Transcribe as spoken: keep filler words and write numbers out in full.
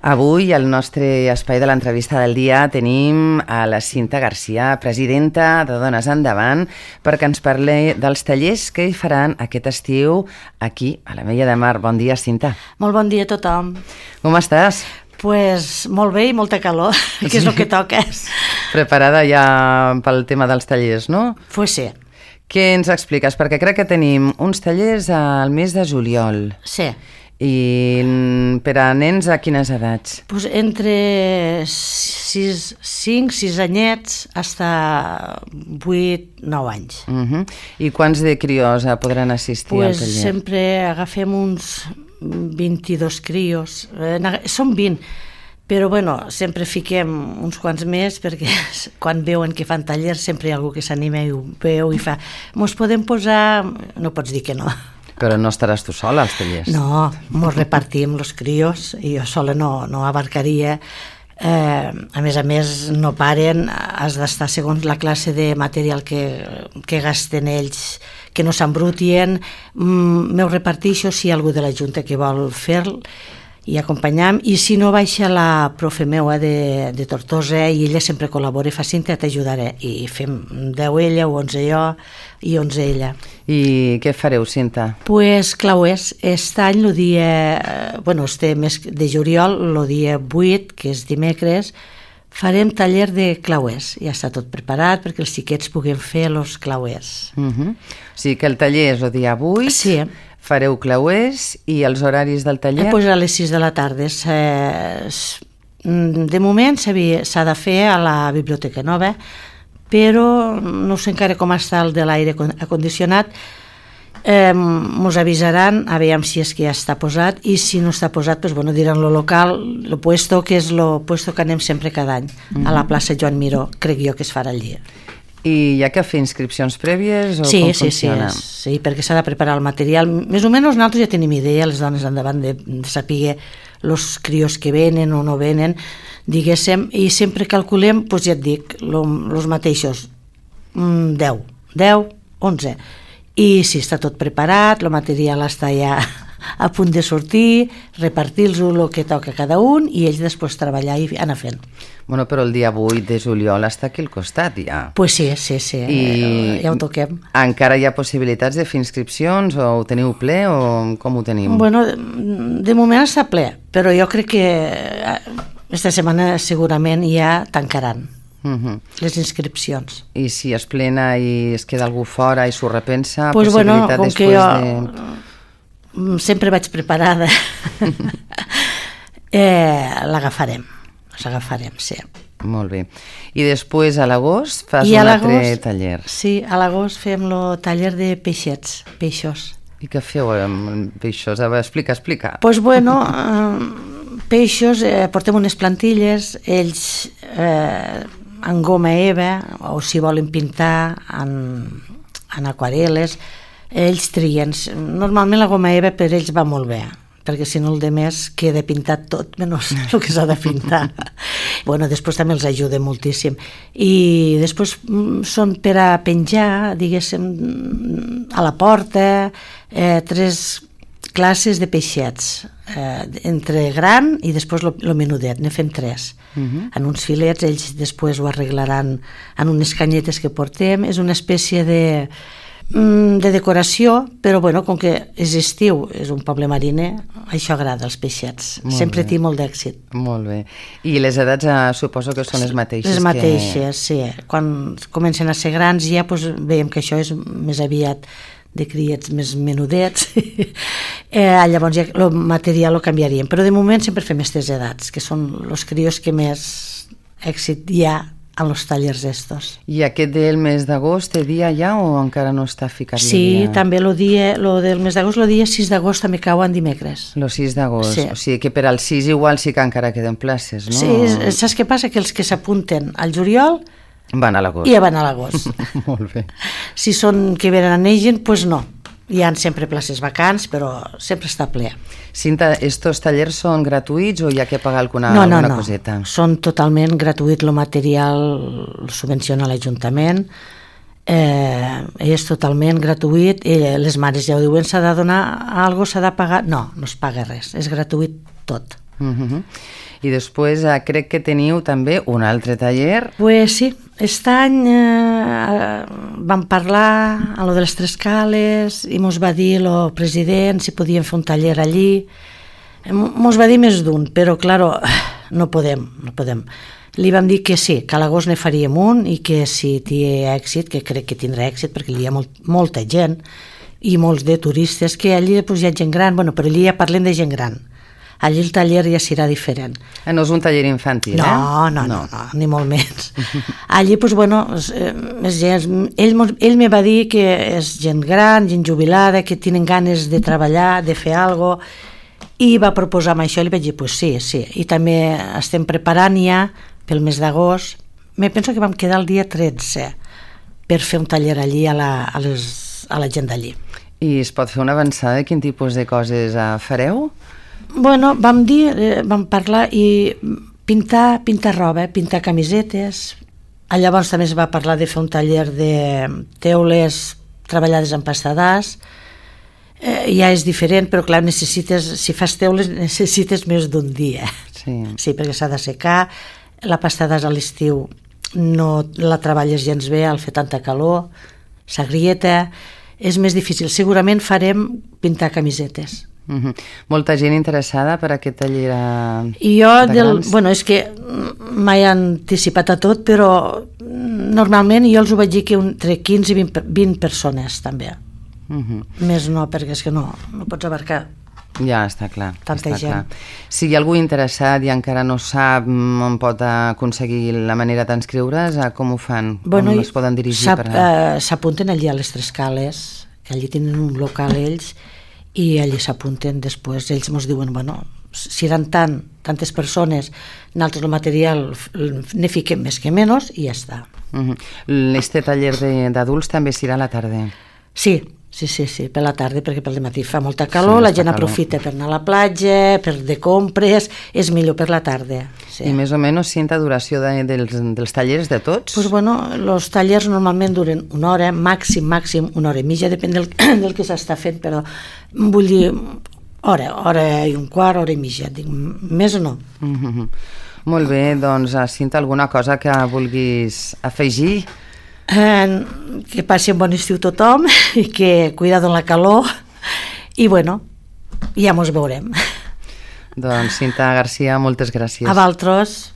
Avui, al nostre espai de l'entrevista del dia, tenim a la Cinta Garcia, presidenta de Dones Endavant, perquè ens parli dels tallers que hi faran aquest estiu aquí, a l'Ametlla de Mar. Bon dia, Cinta. Molt bon dia a tothom. Com estàs? Pues molt bé i molta calor, que és el que toca. Preparada ja pel tema dels tallers, no? Pues sí. Què ens expliques? Perquè crec que tenim uns tallers al mes de juliol. Sí. I per a nens a quines edats? Pues entre cinc, sis anyets hasta vuit, nou anys. Uh-huh. I quants de crios podran assistir pues al taller? Sempre agafem uns vint-i-dos crios. Eh, són vint, però bueno, sempre fiquem uns quants més perquè quan veuen que fan tallers sempre hi ha algú que s'anima i ho veu i fa mos podem posar... No pots dir que no. Però no estaràs tu sola als tallers? No, mos repartim los crios i jo sola no, no abarcaria. Eh, a més a més no paren, has d'estar segons la classe de material que, que gasten ells, que no s'embrutien. Mm, m'ho reparteixo si hi ha algú de la Junta que vol fer-lo i acompanyam, i si no baixa la profe meua de, de Tortosa i ella sempre col·labora i fa Cinta, t'ajudaré, i fem deu ella o onze jo i onze ella. I què fareu, Cinta? Pues clauers, aquest any el dia, bueno, este mes de juliol, el dia vuit, que és dimecres, farem taller de clauers. Ja està tot preparat perquè els xiquets puguin fer els clauers. Uh-huh. O sigui que el taller és el dia vuit, sí. Fareu clauers, i els horaris del taller? Eh, pues a les sis de la tarda. De moment s'ha de fer a la Biblioteca Nova, però no sé encara com està el de l'aire acondicionat. Eh, mos avisaran a veure si és que ja està posat, i si no està posat, pues, bueno, diran lo local, lo puesto que és lo puesto que anem sempre cada any, mm-hmm. a la plaça Joan Miró, crec jo que es farà allí. I hi ha que fer inscripcions prèvies o sí, com sí, funciona? Sí, sí, perquè s'ha de preparar el material. Més o menys nosaltres ja tenim idea, les dones endavant, de, de saber els crios que venen o no venen, diguéssim, i sempre calculem, doncs ja et dic, els mateixos, deu, deu, onze. I si està tot preparat, el material està ja a punt de sortir, repartir-los el que toca cada un i ells després treballar i anar fent. Bueno, però el dia vuit de juliol està aquí al costat ja. Pues sí, sí, sí, I ja ho toquem. Encara hi ha possibilitats de fer inscripcions o ho teniu ple o com ho teniu? Bueno, de moment està ple, però jo crec que aquesta setmana segurament ja tancaran. Uh-huh. Les inscripcions. I si es plena i es queda algú fora i s'ho repensa, pues possibilitat bueno, com després que jo de... sempre vaig preparada, eh, l'agafarem, l'agafarem, sí. Molt bé. I després a l'agost fas I un altre taller. Sí, a l'agost fem el taller de peixets, peixos. I què feu amb peixos? A veure, explica, explica. Doncs pues bueno, eh, peixos, eh, portem unes plantilles, ells eh, en goma eva, o si volen pintar en, en aquarel·les, ells trien. Normalment la goma eva per ells va molt bé, perquè si no el de més queda pintat tot, menys el que s'ha de pintar. Bueno, després també els ajuda moltíssim. I després són per a penjar, diguéssim, a la porta, eh, tres classes de peixets, eh, entre gran i després el menudet, ne fem tres. Uh-huh. En uns filets, ells després ho arreglaran en unes canyetes que portem. És una espècie de... de decoració, però bueno, com que és estiu, és un poble mariner, això agrada als peixets, molt sempre té molt d'èxit. Molt bé. I les edats eh, suposo que són les mateixes? Les mateixes, que... sí. Quan comencen a ser grans ja doncs, veiem que això és més aviat de criets més menudets, eh, llavors ja el material ho canviaríem, però de moment sempre fem aquestes edats, que són els crios que més èxit hi ha en els tallers estos. I aquest del mes d'agost té dia ja o encara no està ficat? Sí, dia? També el dia, lo del mes d'agost, el dia sis d'agost també cau en dimecres. El sis d'agost, sí. O sigui que per al sis igual sí que encara queden places, no? Sí, saps què passa? Que els que s'apunten al juliol van a l'agost. I ja van a l'agost. Molt bé. Si són que venen a Negen, doncs no. Hi ha sempre places vacants, però sempre està ple. Cinta, estos tallers són gratuïts o hi ha que pagar alguna, no, no, alguna no. coseta? No, són totalment gratuït, el material el subvenciona l'Ajuntament, eh, és totalment gratuït, i les mares ja ho diuen, s'ha de donar alguna cosa, s'ha de pagar, no, no es paga res, és gratuït tot. Uh-huh. I després eh, crec que teniu també un altre taller. Pues sí, aquest any eh, vam parlar a lo de les Tres Cales i mos va dir el president si podíem fer un taller allí. Mos va dir més d'un, però, claro, no podem, no podem. Li vam dir que sí, que a l'agost ne faríem un i que si té èxit, que crec que tindrà èxit perquè hi ha molt, molta gent i molts de turistes, que allí pues, hi ha gent gran, bueno, però allí ja parlem de gent gran. Allí el taller ja serà diferent. Eh, no és un taller infantil, no, eh? No, no, no, no, ni molt menys. Allí, pues, bueno, és, és, ell, ell me va dir que és gent gran, gent jubilada, que tenen ganes de treballar, de fer alguna cosa, i va proposar-me això i li vaig dir, pues sí, sí. I també estem preparant ja pel mes d'agost. Me penso que vam quedar el dia tretze per fer un taller allí a la, a les, a la gent d'allí. I es pot fer una avançada de quin tipus de coses eh, fareu? Bueno, vam dir, eh, vam parlar i pintar, pintar roba, pintar camisetes. Llavors també es va parlar de fer un taller de teules treballades en pasta d'as. Eh, ja és diferent, però clar, necessites, si fas teules necessites més d'un dia. Sí. Sí, perquè s'ha de secar. La pasta d'as a l'estiu no la treballes gens bé al fer tanta calor, s'agrieta, és més difícil. Segurament farem pintar camisetes. Uh-huh. Molta gent interessada per aquest taller a... I jo, del, bueno, és que m'he anticipat a tot, però normalment jo els ho vaig dir que entre quinze i vint persones també. Uh-huh. Més no, perquè és que no, no pots abarcar. Ja, està clar. Tanta està gent. Clar. Si hi ha algú interessat i encara no sap on pot aconseguir la manera d'inscriure's, com ho fan? Bueno, on es poden dirigir? Per a... eh, s'apunten allí a les Tres Cales, que allí tenen un local ells, i allí s'apunten després. Ells ens diuen, bueno, si eren tant, tantes persones, nosaltres el material ne fiquem més que menys i ja està. Uh-huh. Este taller d'adults també serà a la tarda? Sí, sí, sí, sí, per la tarda, perquè per matí fa molta calor, sí, la gent calor. Aprofita per anar a la platja, per de compres, és millor per la tarda. Sí. I més o menys quina duració de, dels, dels tallers de tots? Pues bueno, els tallers normalment duren una hora, màxim, màxim una hora i mitja, depèn del, del que s'està fent, però vull dir, hora, hora i un quart, hora i mitja, dic, més o no. Mm-hmm. Molt bé, doncs, Cinta, alguna cosa que vulguis afegir? Eh, que passi un bon estiu tothom i que cuidado en la calor i bueno, ja mos veurem. Doncs Cinta Garcia, moltes gràcies. A vosaltres.